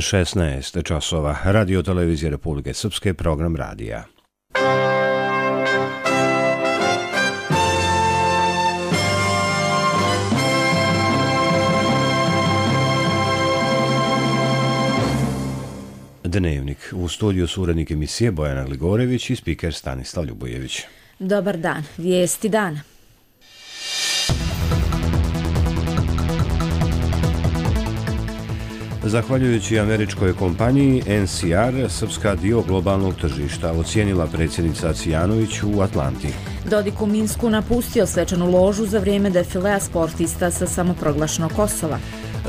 16 časova. Radio televizije Republike Srpske, program radija. Dnevnik. U studiju su urednik emisije Bojana Gligorević i spiker Stanislav Ljubojević. Dobar dan. Vijesti dana. Zahvaljujući američkoj kompaniji NCR, Srpska dio globalnog tržišta, ocijenila predsjednica Cvijanović u Atlanti. Dodik u Minsku napustio svečanu ložu za vrijeme defilea sportista sa samoproglašenog Kosova.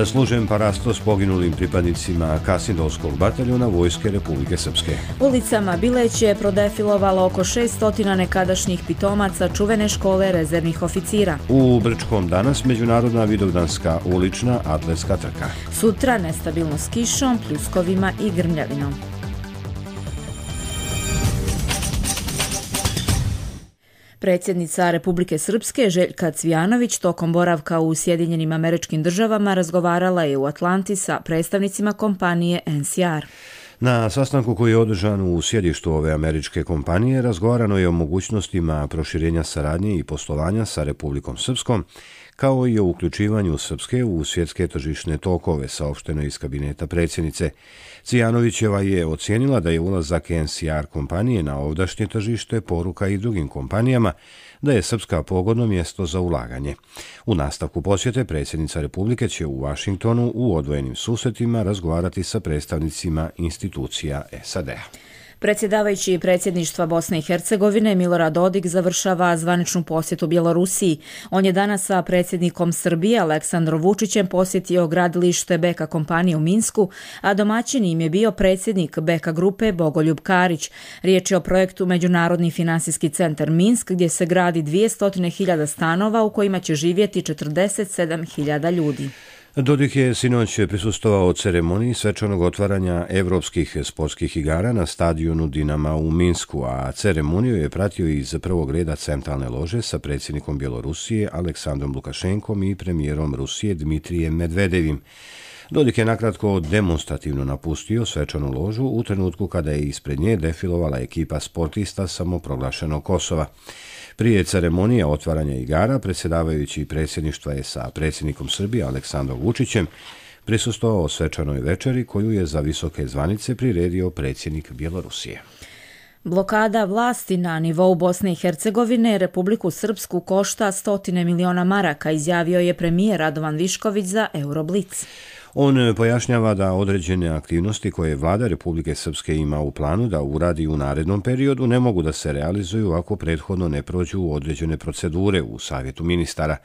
Služen parasto s poginulim pripadnicima Kasindovskog bataljona Vojske Republike Srpske. Ulicama Bileće je prodefilovalo oko 600 nekadašnjih pitomaca čuvene škole rezervnih oficira. U Brčkom danas međunarodna vidovdanska ulična atletska trka. Sutra nestabilno s kišom, pljuskovima i grmljavinom. Predsjednica Republike Srpske Željka Cvijanović tokom boravka u Sjedinjenim Američkim Državama razgovarala je u Atlanti sa predstavnicima kompanije NCR. Na sastanku koji je održan u sjedištu ove američke kompanije razgovarano je o mogućnostima proširenja saradnje i poslovanja sa Republikom Srpskom, kao i o uključivanju Srpske u svjetske tržišne tokove, saopšteno iz kabineta predsjednice. Cvijanovićeva je ocijenila da je ulazak NCR kompanije na ovdašnje tržište poruka i drugim kompanijama da je Srpska pogodno mjesto za ulaganje. U nastavku posjete predsjednica Republike će u Vašingtonu u odvojenim susretima razgovarati sa predstavnicima institucija SAD-a. Predsjedavajući predsjedništva Bosne i Hercegovine Milorad Dodik završava zvaničnu posjetu Bjelorusiji. On je danas sa predsjednikom Srbije Aleksandrom Vučićem posjetio gradilište BK kompanije u Minsku, a domaćin im je bio predsjednik BK grupe Bogoljub Karić. Riječ je o projektu Međunarodni financijski centar Minsk, gdje se gradi 200.000 stanova u kojima će živjeti 47.000 ljudi. Dodik je sinoć prisustvovao ceremoniji svečanog otvaranja evropskih sportskih igara na stadionu Dinama u Minsku, a ceremoniju je pratio iz prvog reda centralne lože sa predsjednikom Bjelorusije Aleksandrom Lukašenkom i premijerom Rusije Dmitrijem Medvedevim. Dodik je nakratko demonstrativno napustio svečanu ložu u trenutku kada je ispred nje defilovala ekipa sportista samoproglašenog Kosova. Prije ceremonije otvaranja igara, predsjedavajući predsjedništva je sa predsjednikom Srbije Aleksandrom Vučićem prisustvovao svečanoj večeri koju je za visoke zvanice priredio predsjednik Bjelorusije. Blokada vlasti na nivou Bosne i Hercegovine Republiku Srpsku košta 100 miliona maraka, izjavio je premijer Radovan Višković za Euroblic. On pojašnjava da određene aktivnosti koje vlada Republike Srpske ima u planu da uradi u narednom periodu ne mogu da se realizuju ako prethodno ne prođu određene procedure u Savjetu ministara.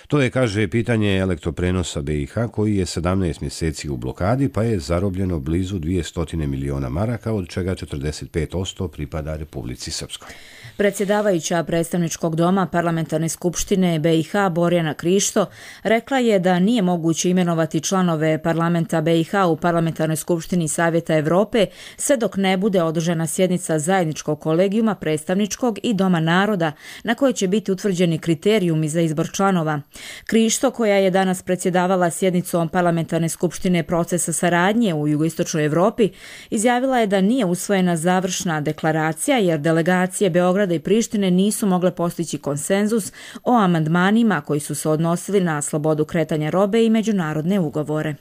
To je, kaže, pitanje elektroprenosa BiH koji je 17 mjeseci u blokadi pa je zarobljeno blizu 200 miliona maraka, od čega 45% pripada Republici Srpskoj. Predsjedavajuća predstavničkog doma Parlamentarne skupštine BiH Borjana Krišto rekla je da nije moguće imenovati članove parlamenta BiH u Parlamentarnoj skupštini Savjeta Evrope sve dok ne bude održana sjednica zajedničkog kolegijuma predstavničkog i Doma naroda na kojoj će biti utvrđeni kriterijumi za izbor članova. Krišto, koja je danas predsjedavala sjednicom Parlamentarne skupštine procesa saradnje u jugoistočnoj Evropi, izjavila je da nije usvojena završna deklaracija jer delegacije Beograda i Prištine nisu mogle postići konsenzus o amandmanima koji su se odnosili na slobodu kretanja robe i međunarodne ugovore.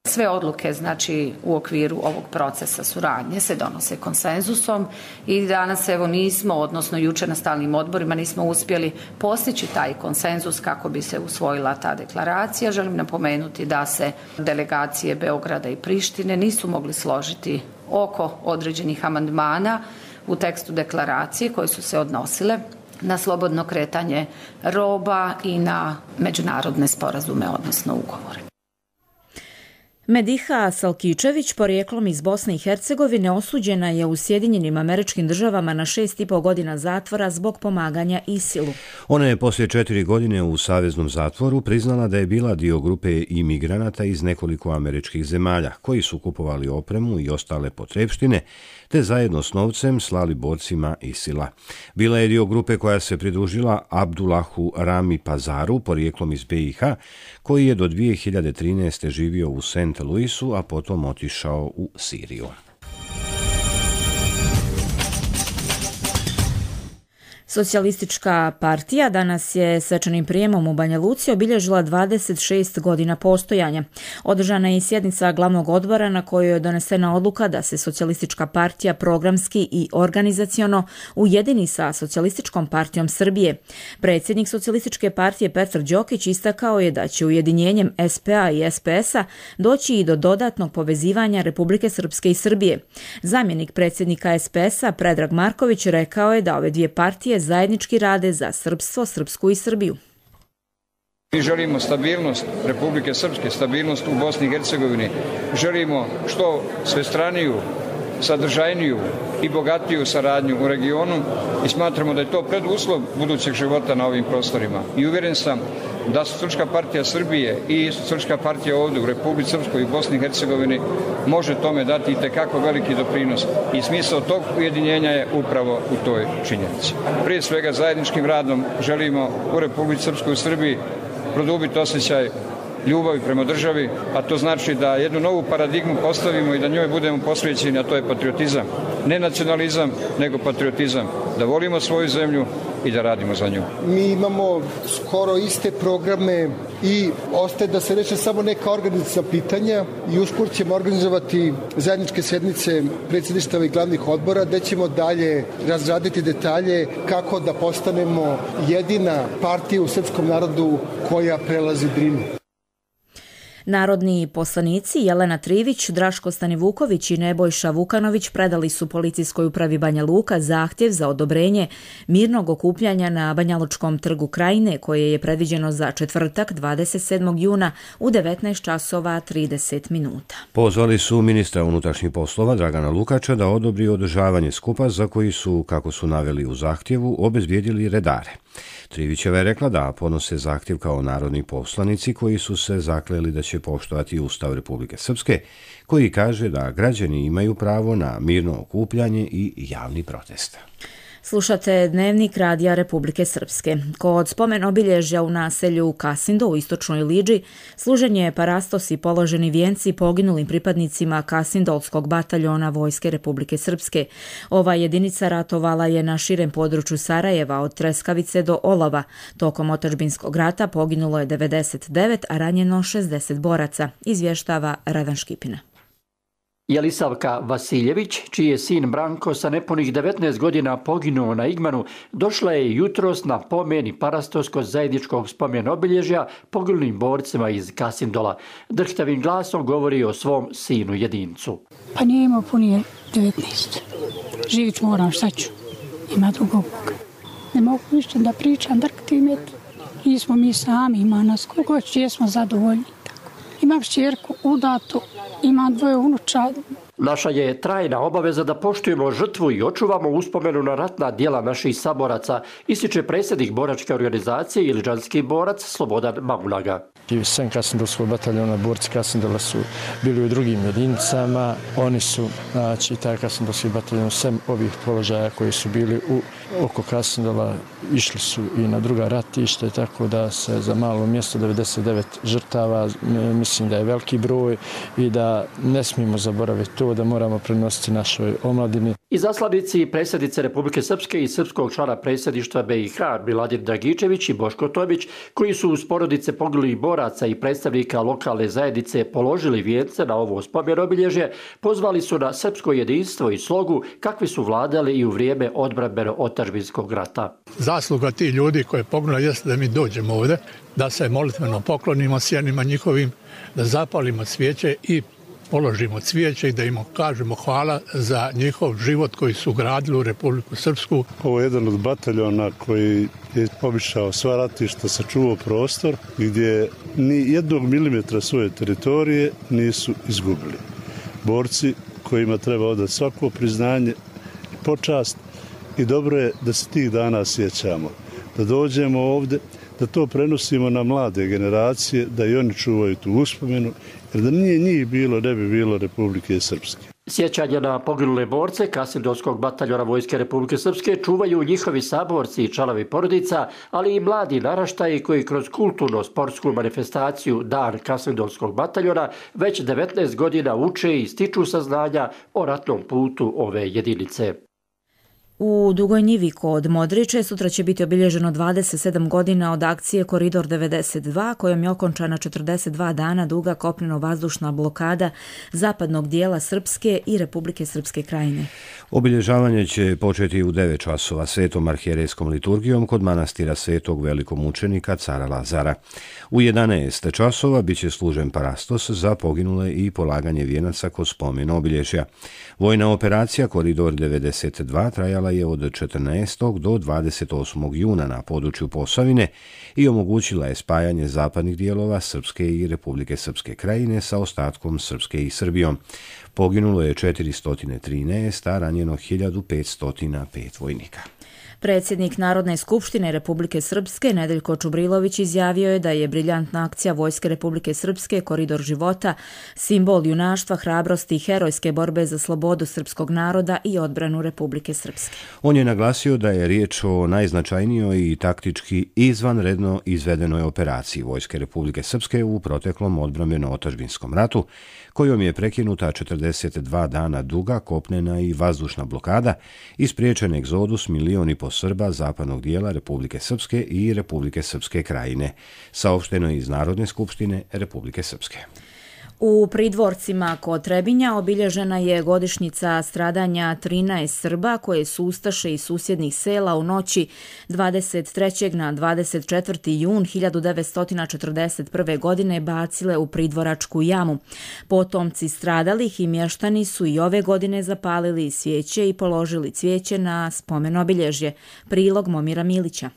Sve odluke, znači, u okviru ovog procesa suradnje se donose konsenzusom i danas nismo, odnosno jučer na stalnim odborima nismo uspjeli postići taj konsenzus kako bi se usvojila ta deklaracija. Želim napomenuti da se delegacije Beograda i Prištine nisu mogli složiti oko određenih amandmana u tekstu deklaracije koje su se odnosile na slobodno kretanje roba i na međunarodne sporazume, odnosno ugovore. Mediha Salkičević, porijeklom iz Bosne i Hercegovine, osuđena je u Sjedinjenim Američkim Državama na 6,5 godina zatvora zbog pomaganja ISIL-u. Ona je poslije 4 godine u saveznom zatvoru priznala da je bila dio grupe imigranata iz nekoliko američkih zemalja, koji su kupovali opremu i ostale potrepštine, te zajedno s novcem slali borcima ISIL-a. Bila je dio grupe koja se pridružila Abdullahu Rami Pazaru, porijeklom iz BiH, koji je do 2013. živio u St. Sint Louisu, a potom otišao u Siriju. Socijalistička partija danas je svečanim prijemom u Banja Luci obilježila 26 godina postojanja. Održana je i sjednica glavnog odbora na kojoj je donesena odluka da se Socijalistička partija programski i organizaciono ujedini sa Socijalističkom partijom Srbije. Predsjednik Socijalističke partije Petar Đokić istakao je da će ujedinjenjem SPA i SPS-a doći i do dodatnog povezivanja Republike Srpske i Srbije. Zamjenik predsjednika SPS-a Predrag Marković rekao je da ove dvije partije zajednički rade za srpstvo, Srpsku i Srbiju. Mi želimo stabilnost Republike Srpske, stabilnost u Bosni i Hercegovini. Želimo što svestraniju, sadržajniju i bogatiju saradnju u regionu i smatramo da je to preduslov budućeg života na ovim prostorima. I uvjeren sam da Socijalistička partija Srbije i Socijalistička partija ovdje u Republici Srpskoj i Bosni i Hercegovini može tome dati itekako veliki doprinos i smisao tog ujedinjenja je upravo u toj činjenici. Prije svega zajedničkim radom želimo u Republici Srpskoj i Srbiji produbiti osjećaj ljubavi prema državi, a to znači da jednu novu paradigmu postavimo i da njoj budemo posvećeni, a to je patriotizam. Ne nacionalizam, nego patriotizam. Da volimo svoju zemlju i da radimo za nju. Mi imamo skoro iste programe i ostaje da se reše samo neka organizacijska pitanja i uskoro ćemo organizovati zajedničke sjednice predsjedništava i glavnih odbora gdje ćemo dalje razraditi detalje kako da postanemo jedina partija u srpskom narodu koja prelazi Drinu. Narodni poslanici Jelena Trivić, Draško Stanivuković i Nebojša Vukanović predali su policijskoj upravi Banja Luka zahtjev za odobrenje mirnog okupljanja na Banjalučkom trgu Krajine koje je predviđeno za četvrtak 27. juna u 19 časova 30 minuta. Pozvali su ministra unutrašnjih poslova Dragana Lukača da odobri održavanje skupa za koji su, kako su naveli u zahtjevu, obezbijedili redare. Trivićeva je rekla da podnose zahtjev kao narodni poslanici koji su se zakleli da će poštovati Ustav Republike Srpske, koji kaže da građani imaju pravo na mirno okupljanje i javni protest. Slušate Dnevnik Radija Republike Srpske. Kod spomen obilježja u naselju Kasindo u istočnoj Lidži služen je parastos i položeni vijenci poginulim pripadnicima Kasindolskog bataljona Vojske Republike Srpske. Ova jedinica ratovala je na širem području Sarajeva od Treskavice do Olova. Tokom otadžbinskog rata poginulo je 99, a ranjeno 60 boraca, izvještava Radan Škipina. Jelisavka Vasiljević, čiji je sin Branko sa nepunih 19 godina poginuo na Igmanu, došla je jutros na pomen i parastos kod zajedničkog spomen obilježja poginulim borcima iz Kasindola. Drhtavim glasom govori o svom sinu jedincu. Pa nije imao punije 19. Živit moram, šta ću? Ima drugog Boga. Ne mogu više da pričam, drktim je. Nismo mi sami, ima nas kogo jesmo zadovoljni. Imam šćerku udatu, imam 2 unuča. Naša je trajna obaveza da poštujemo žrtvu i očuvamo uspomenu na ratna djela naših saboraca, ističe predsjednik boračke organizacije iliđanski borac Slobodan Mamunaga. Sem Kasindolskog bataljona, borci Kasindola su bili u drugim jedinicama. Oni su, znači, taj Kasindolski bataljon, sem ovih položaja koji su bili oko Kasindola, išli su i na druga ratište, tako da se za malo mjesto 99 žrtava, mislim da je veliki broj i da ne smijemo zaboraviti to, da moramo prenositi našoj omladini. Izaslanici predsjednice Republike Srpske i srpskog člana predsjedništva BiH Miladin Dragičević i Boško Tomić, koji su uz porodice poginulih boraca i predstavnika lokalne zajednice položili vijence na ovo spomen obilježje, pozvali su na srpsko jedinstvo i slogu kakvi su vladali i u vrijeme odbrambeno-otadžbinskog rata. Zasluga tih ljudi koje poginuli jeste da mi dođemo ovdje, da se molitveno poklonimo sjenima njihovim, da zapalimo svijeće i položimo cvijeće i da im kažemo hvala za njihov život koji su gradili u Republiku Srpsku. Ovo je jedan od bataljona koji je pobišao sva ratišta, sačuvao prostor gdje ni jednog milimetra svoje teritorije nisu izgubili. Borci kojima treba odati svako priznanje i počast i dobro je da se tih dana sjećamo, da dođemo ovdje, da to prenosimo na mlade generacije, da i oni čuvaju tu uspomenu, jer da nije njih bilo, ne bi bilo Republike Srpske. Sjećanje na poginule borce Kasindolskog bataljona Vojske Republike Srpske čuvaju njihovi saborci i članovi porodica, ali i mladi naraštaji koji kroz kulturno-sportsku manifestaciju Dan Kasindolskog bataljona već 19 godina uče i stiču saznanja o ratnom putu ove jedinice. U Dugoj Njivi kod Modriče sutra će biti obilježeno 27 godina od akcije Koridor 92, kojom je okončana 42 dana duga kopneno-vazdušna blokada zapadnog dijela Srpske i Republike Srpske Krajine. Obilježavanje će početi u 9 časova svetom arhijerejskom liturgijom kod manastira svetog velikomučenika cara Lazara. U 11 časova biće služen parastos za poginule i polaganje vijenaca kod spomen obilježja. Vojna operacija Koridor 92 trajala je od 14. do 28. juna na području Posavine i omogućila je spajanje zapadnih dijelova Srpske i Republike Srpske Krajine sa ostatkom Srpske i Srbijom. Poginulo je 413, a ranjeno 1505 vojnika. Predsjednik Narodne skupštine Republike Srpske Nedeljko Čubrilović izjavio je da je briljantna akcija Vojske Republike Srpske Koridor života simbol junaštva, hrabrosti i herojske borbe za slobodu srpskog naroda i odbranu Republike Srpske. On je naglasio da je riječ o najznačajnijoj i taktički izvanredno izvedenoj operaciji Vojske Republike Srpske u proteklom odbrambeno-otadžbinskom ratu, kojom je prekinuta 42 dana duga kopnena i vazdušna blokada i spriječen egzodus 1,5 miliona Srba zapadnog dijela Republike Srpske i Republike Srpske Krajine, saopšteno iz Narodne skupštine Republike Srpske. U Pridvorcima kod Trebinja obilježena je godišnjica stradanja 13 Srba koje su ustaše iz susjednih sela u noći 23. na 24. jun 1941. godine bacile u Pridvoračku jamu. Potomci stradalih i mještani su i ove godine zapalili svijeće i položili cvijeće na spomen obilježje. Prilog Momira Milića.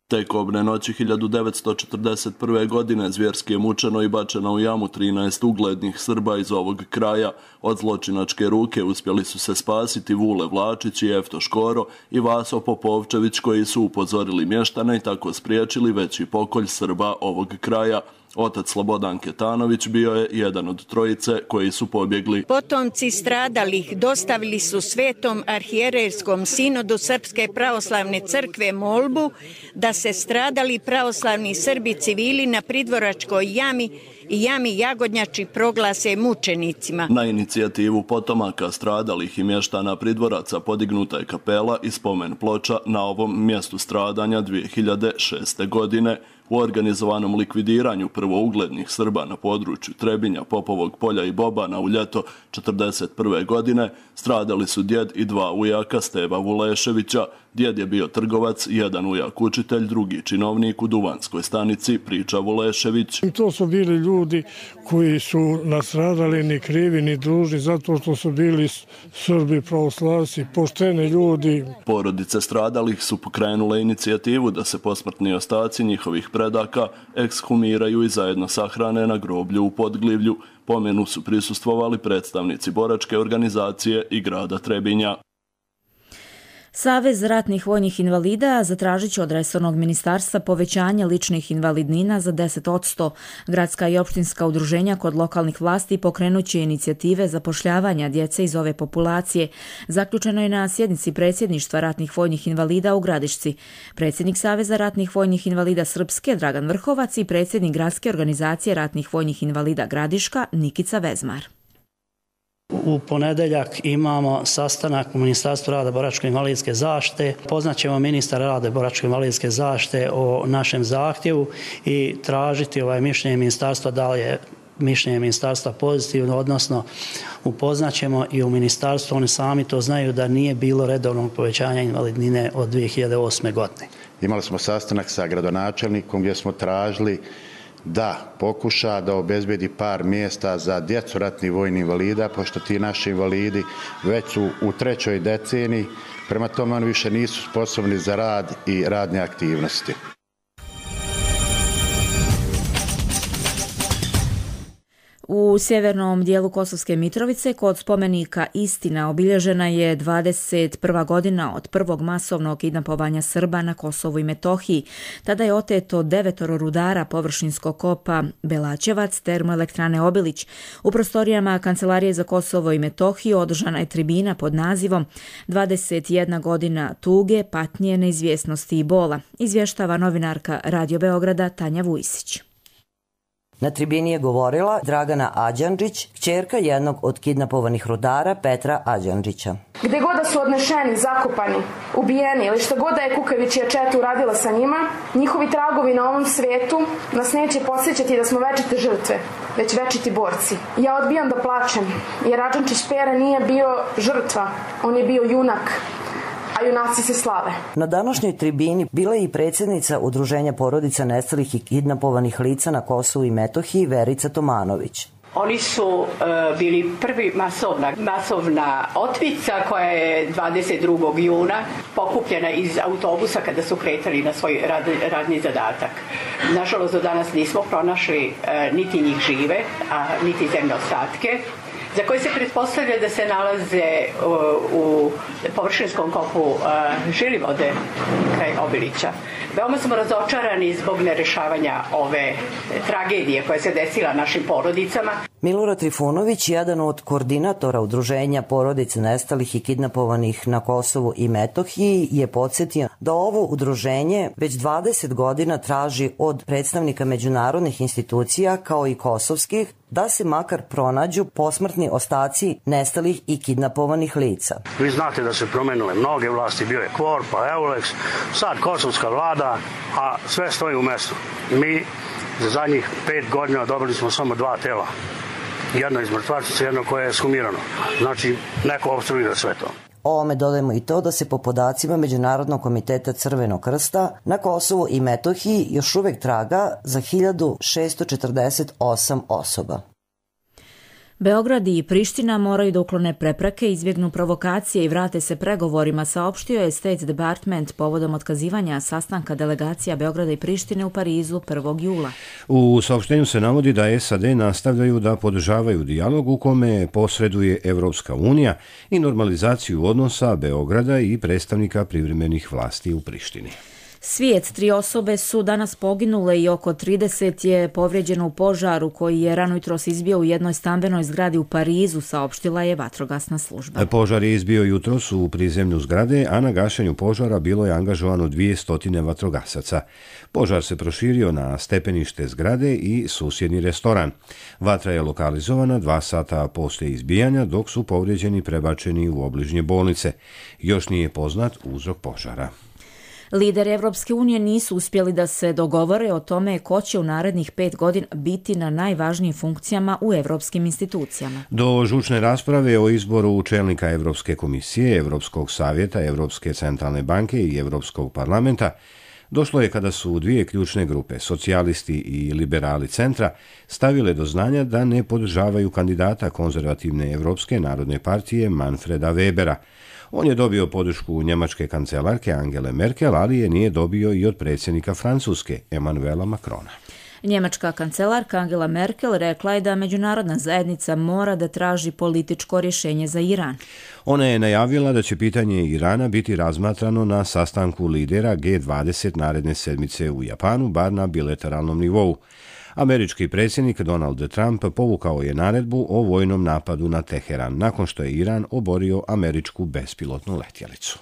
Te kobne noći 1941. godine zvjerski je mučeno i bačeno u jamu 13 uglednih Srba iz ovog kraja. Od zločinačke ruke uspjeli su se spasiti Vule Vlačić i Efto Škoro i Vaso Popovčević koji su upozorili mještane i tako spriječili veći pokolj Srba ovog kraja. Otac Slobodan Ketanović bio je jedan od trojice koji su pobjegli. Potomci stradalih dostavili su Svetom arhijerejskom sinodu Srpske pravoslavne crkve molbu da se stradali pravoslavni Srbi civili na Pridvoračkoj jami i jami Jagodnjači proglase mučenicima. Na inicijativu potomaka stradalih i mještana Pridvoraca podignuta je kapela i spomen ploča na ovom mjestu stradanja 2006. godine. U organizovanom likvidiranju prvouglednih Srba na području Trebinja, Popovog polja i Bobana u ljeto 1941. godine stradali su djed i 2 ujaka Steva Vuleševića. Djed je bio trgovac, jedan ujak učitelj, drugi činovnik u Duvanskoj stanici, priča Vulešević. I to su bili ljudi koji su nastradali ni krivi ni dužni zato što su bili Srbi pravoslavci, pošteni ljudi. Porodice stradalih su pokrenule inicijativu da se posmrtni ostaci njihovih predaka ekshumiraju i zajedno sahrane na groblju u Podglivlju. Pomenu su prisustvovali predstavnici boračke organizacije i grada Trebinja. Savez ratnih vojnih invalida zatražit će od resornog ministarstva povećanje ličnih invalidnina za 10%. Gradska i opštinska udruženja kod lokalnih vlasti pokrenut će inicijative zapošljavanja djece iz ove populacije. Zaključeno je na sjednici predsjedništva ratnih vojnih invalida u Gradišci. Predsjednik Saveza ratnih vojnih invalida Srpske Dragan Vrhovac i predsjednik Gradske organizacije ratnih vojnih invalida Gradiška Nikica Vezmar. U ponedeljak imamo sastanak u Ministarstvu rada boračko-invalidske zaštite. Poznaćemo ministar rada boračko-invalidske zaštite o našem zahtjevu i tražiti mišljenje ministarstva da li je mišljenje ministarstva pozitivno, odnosno upoznaćemo i u ministarstvu, oni sami to znaju da nije bilo redovnog povećanja invalidnine od 2008. godine. Imali smo sastanak sa gradonačelnikom gdje smo tražili da pokuša da obezbedi par mjesta za djecu ratnih vojnih invalida, pošto ti naši invalidi već su u 3. deceniji, prema tome oni više nisu sposobni za rad i radne aktivnosti. U sjevernom dijelu Kosovske Mitrovice kod spomenika Istina obilježena je 21. godina od prvog masovnog kidnapovanja Srba na Kosovu i Metohiji. Tada je oteto 9 rudara površinskog kopa Belačevac, termoelektrane Obilić. U prostorijama Kancelarije za Kosovo i Metohiju održana je tribina pod nazivom 21 godina tuge, patnje, neizvjesnosti i bola, izvještava novinarka Radio Beograda Tanja Vujsić. Na tribini je govorila Dragana Ađandžić, kćerka jednog od kidnapovanih rudara Petra Ađandžića. Gde god da su odnešeni, zakopani, ubijeni ili šta god da je kukavičija četa uradila sa njima, njihovi tragovi na ovom svetu nas neće podsjećati da smo večite žrtve, već večiti borci. Ja odbijam da plačem, jer Ađandžić Pera nije bio žrtva, on je bio junak. A junaci se slave. Na današnjoj tribini bila je i predsjednica Udruženja porodica nestalih i kidnapovanih lica na Kosovu i Metohiji Verica Tomanović. Oni su bili prvi masovna otmica koja je 22. juna pokupljena iz autobusa kada su kretali na svoj radni zadatak. Nažalost, do danas nismo pronašli niti njih žive, a niti zemne ostatke, za koje se pretpostavlja da se nalaze u površinskom kopu Žilivode kraj Obilića. Veoma smo razočarani zbog nerešavanja ove tragedije koja se desila našim porodicama. Milorad Trifunović, jedan od koordinatora Udruženja porodice nestalih i kidnapovanih na Kosovu i Metohiji, je podsjetio da ovo udruženje već 20 godina traži od predstavnika međunarodnih institucija kao i kosovskih da se makar pronađu posmrtni ostaci nestalih i kidnapovanih lica. Vi znate da se promenile mnoge vlasti, bio je KFOR, pa EULEX, sad kosovska vlada, a sve stoji u mestu. Mi za zadnjih 5 godina dobili smo samo 2 tela. Jedno iz mrtvačice, jedno koje je skumirano. Znači, neko opstruira sve to. Ovome dodajemo i to da se po podacima Međunarodnog komiteta Crvenog krsta na Kosovu i Metohiji još uvijek traga za 1648 osoba. Beograd i Priština moraju da uklone prepreke, izbjegnu provokacije i vrate se pregovorima, saopštio je State Department povodom otkazivanja sastanka delegacija Beograda i Prištine u Parizu 1. jula. U saopštenju se navodi da SAD nastavljaju da podržavaju dijalog u kome posreduje Evropska unija i normalizaciju odnosa Beograda i predstavnika privremenih vlasti u Prištini. Svijet, 3 osobe su danas poginule i oko 30 je povrijeđeno u požaru koji je rano jutros izbio u jednoj stambenoj zgradi u Parizu, saopštila je vatrogasna služba. Požar je izbio jutros u prizemlju zgrade, a na gašenju požara bilo je angažovano 200 vatrogasaca. Požar se proširio na stepenište zgrade i susjedni restoran. Vatra je lokalizovana 2 sata poslije izbijanja, dok su povrijeđeni prebačeni u obližnje bolnice. Još nije poznat uzrok požara. Lideri Evropske unije nisu uspjeli da se dogovore o tome ko će u narednih 5 godina biti na najvažnijim funkcijama u evropskim institucijama. Do žučne rasprave o izboru čelnika Evropske komisije, Evropskog savjeta, Evropske centralne banke i Evropskog parlamenta došlo je kada su 2 ključne grupe, socijalisti i liberali centra, stavile do znanja da ne podržavaju kandidata konzervativne Evropske narodne partije Manfreda Webera. On je dobio podršku njemačke kancelarke Angele Merkel, ali je nije dobio i od predsjednika Francuske Emmanuela Macrona. Njemačka kancelarka Angela Merkel rekla je da međunarodna zajednica mora da traži političko rješenje za Iran. Ona je najavila da će pitanje Irana biti razmatrano na sastanku lidera G20 naredne sedmice u Japanu, bar na bilateralnom nivou. Američki predsjednik Donald Trump povukao je naredbu o vojnom napadu na Teheran nakon što je Iran oborio američku bespilotnu letjelicu.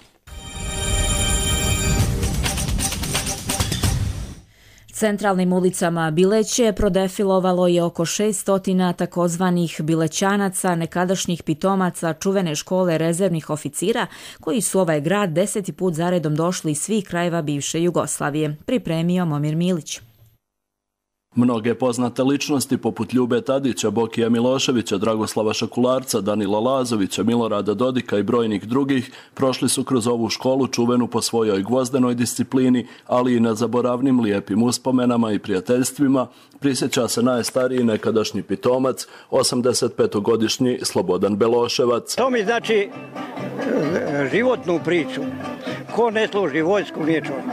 Centralnim ulicama Bileće prodefilovalo je oko 600 takozvanih bilećanaca, nekadašnjih pitomaca čuvene škole rezervnih oficira, koji su ovaj grad 10. put zaredom došli iz svih krajeva bivše Jugoslavije, pripremio Momir Milić. Mnoge poznate ličnosti poput Ljube Tadića, Bokija Miloševića, Dragoslava Šakularca, Danila Lazovića, Milorada Dodika i brojnih drugih prošli su kroz ovu školu čuvenu po svojoj gvozdenoj disciplini, ali i na zaboravnim lijepim uspomenama i prijateljstvima, prisjeća se najstariji nekadašnji pitomac, 85-godišnji Slobodan Beloševac. To mi znači životnu priču. Ko ne služi vojsku, nije čovjek.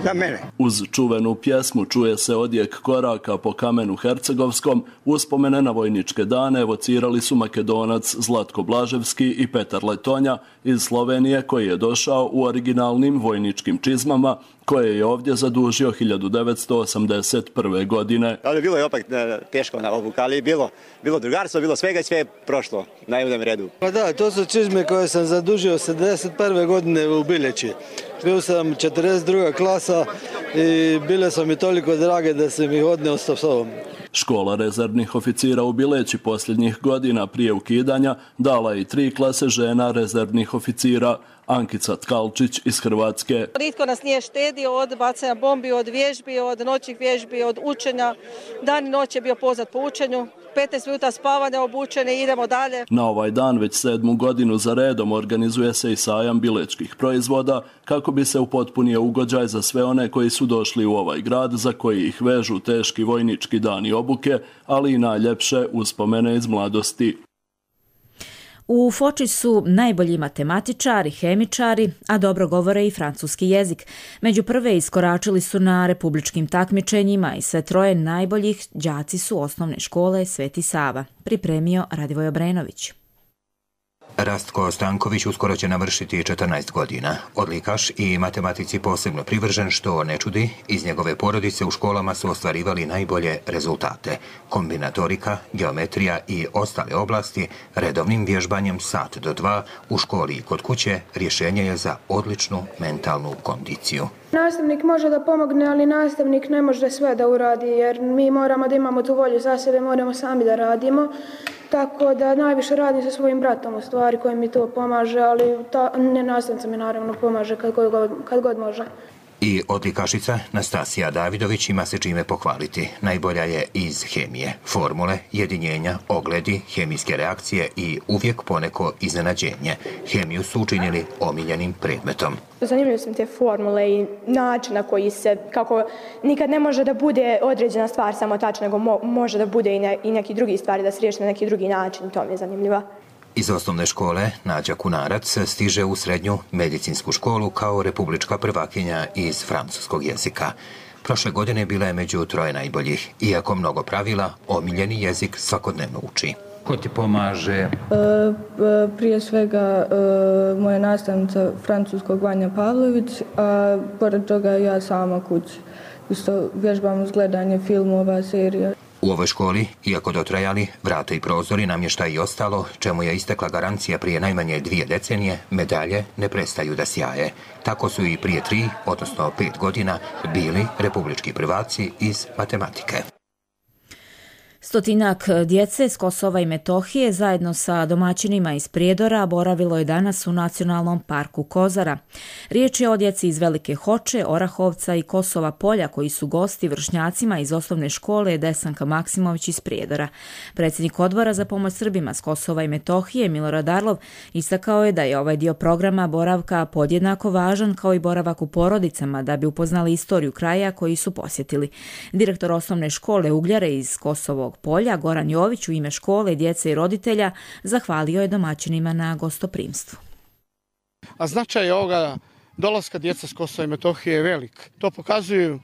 za mene. Uz čuvenu pjesmu čuje se odjek koraka po kamenu hercegovskom. Uspomene na vojničke dane evocirali su Makedonac Zlatko Blaževski i Petar Letonja iz Slovenije, koji je došao u originalnim vojničkim čizmama koje je ovdje zadužio 1981. godine. Ali bilo je opet teško na obuku, ali bilo drugarstvo, bilo svega i sve je prošlo na jednom redu. Pa da, to su čizme koje sam zadužio 71. godine u Bileći. Bio sam 42. klasa i bile su mi toliko drage da sam ih odneo sa sobom. Škola rezervnih oficira u Bileći posljednjih godina prije ukidanja dala je i 3 klase žena rezervnih oficira. Ankica Tkalčić iz Hrvatske. Nitko nas nije štedio od bacanja bombi, od vježbi, od noćnih vježbi, od učenja. Dan i noć je bio poznat po učenju. 15 minuta spavanja, obučene i idemo dalje. Na ovaj dan već 7. godinu za redom organizuje se i sajam bilečkih proizvoda kako bi se upotpunio ugođaj za sve one koji su došli u ovaj grad, za koji ih vežu teški vojnički dani obuke, ali i najljepše uspomene iz mladosti. U Foči su najbolji matematičari, hemičari, a dobro govore i francuski jezik. Među prve iskoračili su na republičkim takmičenjima i sve 3 najboljih đaci su osnovne škole Sveti Sava. Pripremio Radivoj Obrenović. Rastko Stanković uskoro će navršiti 14 godina. Odlikaš i matematici posebno privržen, što ne čudi, iz njegove porodice u školama su ostvarivali najbolje rezultate. Kombinatorika, geometrija i ostale oblasti redovnim vježbanjem 1 do 2 u školi i kod kuće rješenje je za odličnu mentalnu kondiciju. Nastavnik može da pomogne, ali nastavnik ne može sve da uradi, jer mi moramo da imamo tu volju za sebe, moramo sami da radimo. Tako da najviše radim sa svojim bratom u stvari koji mi to pomaže, ali nastavnica mi naravno pomaže kad god može. I odlikašica Nastasija Davidović ima se čime pohvaliti. Najbolja je iz hemije. Formule, jedinjenja, ogledi, hemijske reakcije i uvijek poneko iznenađenje. Hemiju su učinili omiljenim predmetom. Zanimljive su mi te formule i način na koji se, kako nikad ne može da bude određena stvar samo tačna, nego može da bude i neki drugi stvari, da se riješi na neki drugi način. To mi je zanimljivo. Iz osnovne škole Nađa Kunarac stiže u srednju medicinsku školu kao republička prvakinja iz francuskog jezika. Prošle godine bila je među 3 najboljih. Iako mnogo pravila, omiljeni jezik svakodnevno uči. Ko ti pomaže? Prije svega moja nastavnica francuskog Vanja Pavlović, a pored toga ja sama kući. Isto vježbam uz gledanje filmova, serija. U ovoj školi, iako dotrajali, vrata i prozori, namještaj i ostalo, čemu je istekla garancija prije najmanje 2 decenije, medalje ne prestaju da sjaje. Tako su i prije 3, odnosno 5 godina, bili republički prvaci iz matematike. 100 djece s Kosova i Metohije zajedno sa domaćinima iz Prijedora boravilo je danas u Nacionalnom parku Kozara. Riječ je o djeci iz Velike Hoče, Orahovca i Kosova Polja koji su gosti vršnjacima iz osnovne škole Desanka Maksimović iz Prijedora. Predsjednik Odbora za pomoć Srbima s Kosova i Metohije Milorad Arlov istakao je da je ovaj dio programa boravka podjednako važan kao i boravak u porodicama da bi upoznali istoriju kraja koji su posjetili. Direktor osnovne škole Ugljare iz Kosovog Polja, Goran Jović, u ime škole, djece i roditelja zahvalio je domaćinima na gostoprimstvu. A značaj ovoga dolaska djeca s Kosova i Metohije je velik. To pokazuju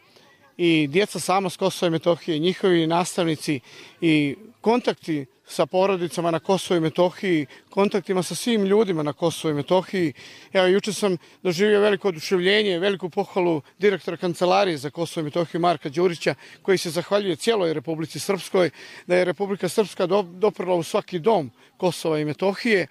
i djeca sama s Kosova i Metohije, njihovi nastavnici i kontakti sa porodicama na Kosovo i Metohiji, kontaktima sa svim ljudima na Kosovo i Metohiji. Evo, jučer sam doživio veliko oduševljenje, veliku pohvalu direktora kancelarije za Kosovo i Metohiju Marka Đurića, koji se zahvaljuje cijeloj Republici Srpskoj, da je Republika Srpska doprla u svaki dom Kosova i Metohije.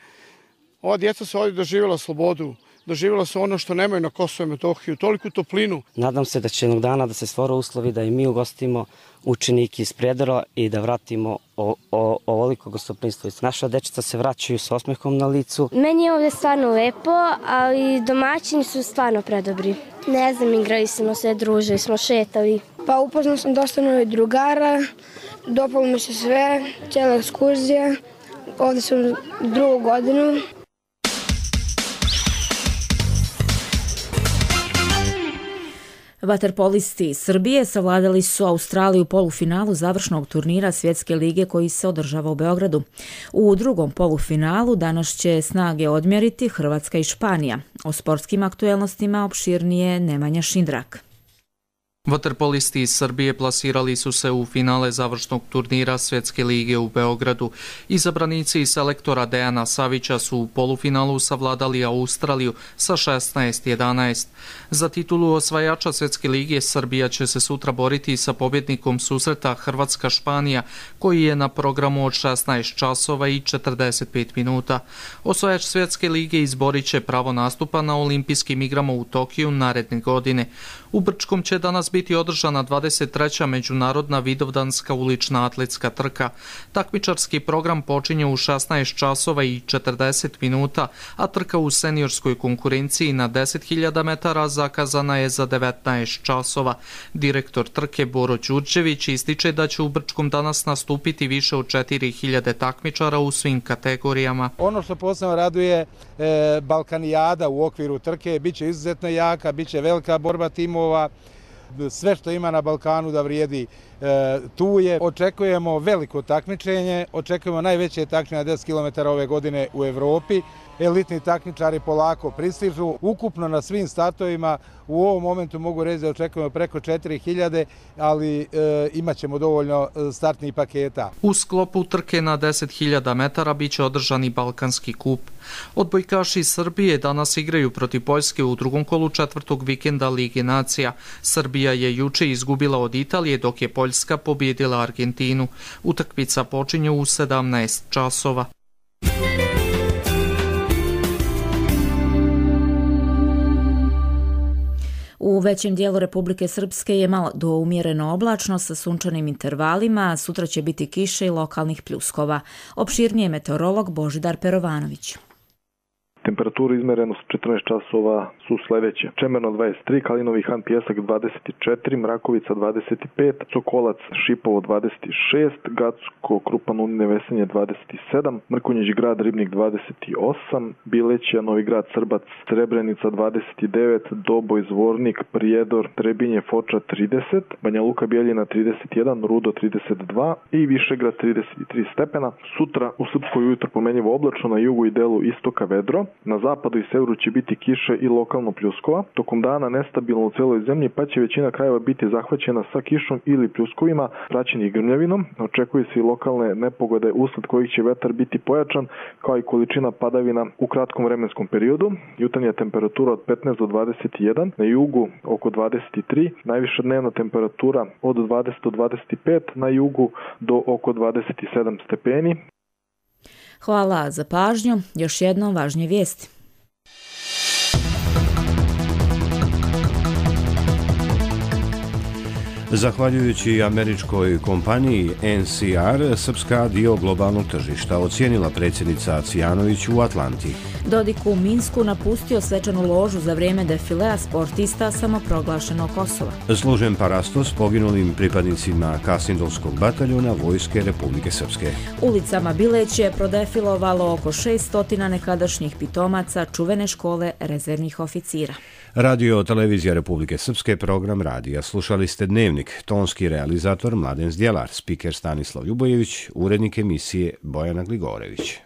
Ova djeca su ovdje doživjela slobodu, doživjela su ono što nemaju na Kosovo i Metohiju, toliku toplinu. Nadam se da će jednog dana da se stvore uslovi da i mi ugostimo učenike iz Prijedora i da vratimo ovoliko gostoprimstvo. Naša dečica se vraćaju s osmehom na licu. Meni je ovdje stvarno lepo, ali domaćini su stvarno predobri. Ne znam, igrali smo se, družili smo, šetali. Pa upoznao sam dosta novih drugara, dopalo mi se sve, cijela ekskurzija. Ovdje sam 2. godinu. Vaterpolisti Srbije savladali su Australiju u polufinalu završnog turnira Svjetske lige koji se održava u Beogradu. U drugom polufinalu danas će snage odmjeriti Hrvatska i Španija. O sportskim aktuelnostima opširnije Nemanja Šindrak. Vaterpolisti iz Srbije plasirali su se u finale završnog turnira Svjetske lige u Beogradu. Izabranici selektora Dejana Savića su u polufinalu savladali Australiju sa 16-11. Za titulu osvajača Svjetske lige Srbija će se sutra boriti sa pobjednikom susreta Hrvatska-Španija, koji je na programu od 16 časova i 45 minuta. Osvajač Svjetske lige izborit će pravo nastupa na olimpijskim igrama u Tokiju naredne godine. U Brčkom će danas biti održana 23. međunarodna vidovdanska ulična atletska trka. Takmičarski program počinje u 16 časova i 40 minuta, a trka u seniorskoj konkurenciji na 10.000 metara zakazana je za 19 časova. Direktor trke Boro Đurđević ističe da će u Brčkom danas nastupiti više od 4.000 takmičara u svim kategorijama. Ono što posebno raduje, Balkanijada u okviru trke biće izuzetno jaka, biće velika borba timova. Sve što ima na Balkanu da vrijedi tu je. Očekujemo veliko takmičenje, očekujemo najveće takmičenje na 10 km ove godine u Evropi. Elitni takmičari polako pristižu. Ukupno na svim startovima u ovom momentu mogu reći da očekujemo preko 4.000, ali imat ćemo dovoljno startnih paketa. U sklopu trke na 10.000 metara bit će održani Balkanski kup. Odbojkaši Srbije danas igraju protiv Poljske u drugom kolu četvrtog vikenda Lige nacija. Srbija je juče izgubila od Italije, dok je Poljska pobjedila Argentinu. Utakmica počinje u 17 časova. U većem dijelu Republike Srpske je malo do umjereno oblačno sa sunčanim intervalima, sutra će biti kiše i lokalnih pljuskova. Opširnije meteorolog Božidar Perovanović. Temperature izmereno s 14 časova su sljedeće. Čemerno 23, Kalinovi Han Pjesak 24, Mrakovica 25, Sokolac Šipovo 26, Gacko Krupan Unine Vesenje 27, Mrkonjić Grad Ribnik 28, Bilećija Novi Grad Srbac Srebrenica 29, Doboj Zvornik Prijedor Trebinje Foča 30, Banja Luka Bijeljina 31, Rudo 32 i Višegrad 33 stepena. Sutra u Srpskoj ujutro pomenljivo oblačno, na jugu i delu istoka vedro. Na zapadu i severu će biti kiše i lokalno pljuskova. Tokom dana nestabilno u celoj zemlji, pa će većina krajeva biti zahvaćena sa kišom ili pljuskovima, praćenih grmljavinom. Očekuje se i lokalne nepogode usled kojih će vetar biti pojačan, kao i količina padavina u kratkom vremenskom periodu. Jutarnja temperatura od 15 do 21, na jugu oko 23, najviša dnevna temperatura od 20 do 25, na jugu do oko 27 stepeni. Hvala za pažnju. Još jednom važnije vijesti. Zahvaljujući američkoj kompaniji NCR, Srpska dio globalnog tržišta, ocijenila predsjednica Cvijanović u Atlanti. Dodik u Minsku napustio svečanu ložu za vrijeme defilea sportista samoproglašenog Kosova. Služen parasto s poginulim pripadnicima Kasindolskog bataljona Vojske Republike Srpske. Ulicama Bileće je prodefilovalo oko 600 nekadašnjih pitomaca čuvene škole rezervnih oficira. Radio Televizija Republike Srpske, program radija. Slušali ste Dnevnik, tonski realizator Mladen Zdjelar, spiker Stanislav Ljubojević, urednik emisije Bojana Gligorević.